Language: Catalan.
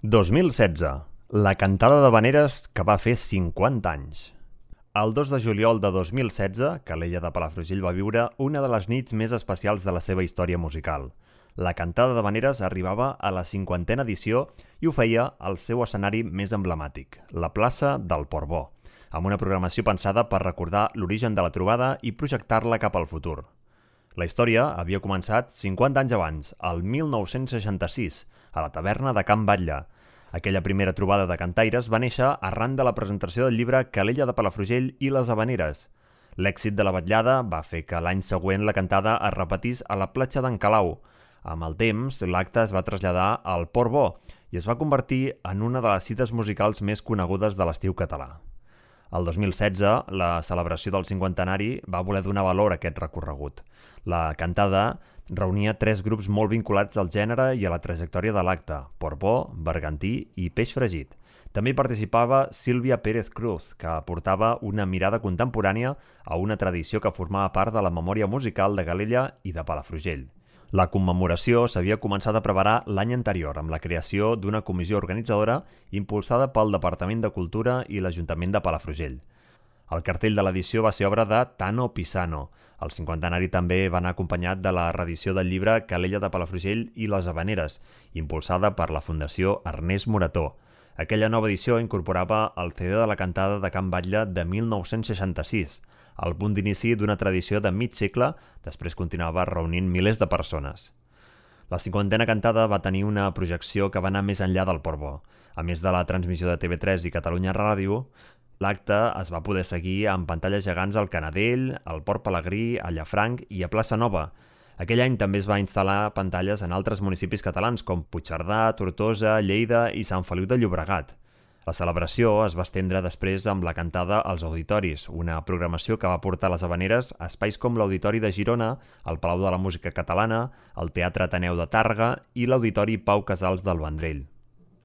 2016. La cantada d'havaneres que va fer 50 anys. El 2 de juliol de 2016, Calella de Palafrugell va viure una de les nits més especials de la seva història musical. La cantada d'havaneres arribava a la 50a edició i ho feia al seu escenari més emblemàtic, la plaça del Portbó, amb una programació pensada per recordar l'origen de la trobada i projectar-la cap al futur. La història havia començat 50 anys abans, el 1966, a la taverna de Can Batlle. Aquella primera trobada de cantaires va néixer arran de la presentació del llibre Calella de Palafrugell i les havaneres. L'èxit de la vetllada va fer que l'any següent la cantada es repetís a la platja d'en Calau. Amb el temps, l'acte es va traslladar al Portbó i es va convertir en una de les cites musicals més conegudes de l'estiu català. El 2016, la celebració del cinquantenari va voler donar valor a aquest recorregut. La cantada reunia 3 grups molt vinculats al gènere i a la trajectòria de l'acte: Portbó, Bergantí i Peix Fregit. També hi participava Sílvia Pérez Cruz, que aportava una mirada contemporània a una tradició que formava part de la memòria musical de Calella i de Palafrugell. La commemoració s'havia començat a preparar l'any anterior amb la creació d'una comissió organitzadora impulsada pel Departament de Cultura i l'Ajuntament de Palafrugell. El cartell de l'edició va ser obra de Tano Pisano. El cinquantenari també va anar acompanyat de la reedició del llibre Calella de Palafrugell i les havaneres, impulsada per la Fundació Ernest Morató. Aquella nova edició incorporava el CD de la cantada de Can Batlle de 1966, el punt d'inici d'una tradició de mig segle, després continuava reunint milers de persones. La 50a cantada va tenir una projecció que va anar més enllà del Portbó. A més de la transmissió de TV3 i Catalunya Ràdio, l'acte es va poder seguir amb pantalles gegants al Canadell, al Port Pelegrí, a Llafranc i a Plaça Nova. Aquell any també es va instal·lar pantalles en altres municipis catalans com Puigcerdà, Tortosa, Lleida i Sant Feliu de Llobregat. La celebració es va estendre després amb la cantada als auditoris, una programació que va portar les havaneres a espais com l'Auditori de Girona, el Palau de la Música Catalana, el Teatre Ateneu de Tàrrega i l'Auditori Pau Casals del Vendrell.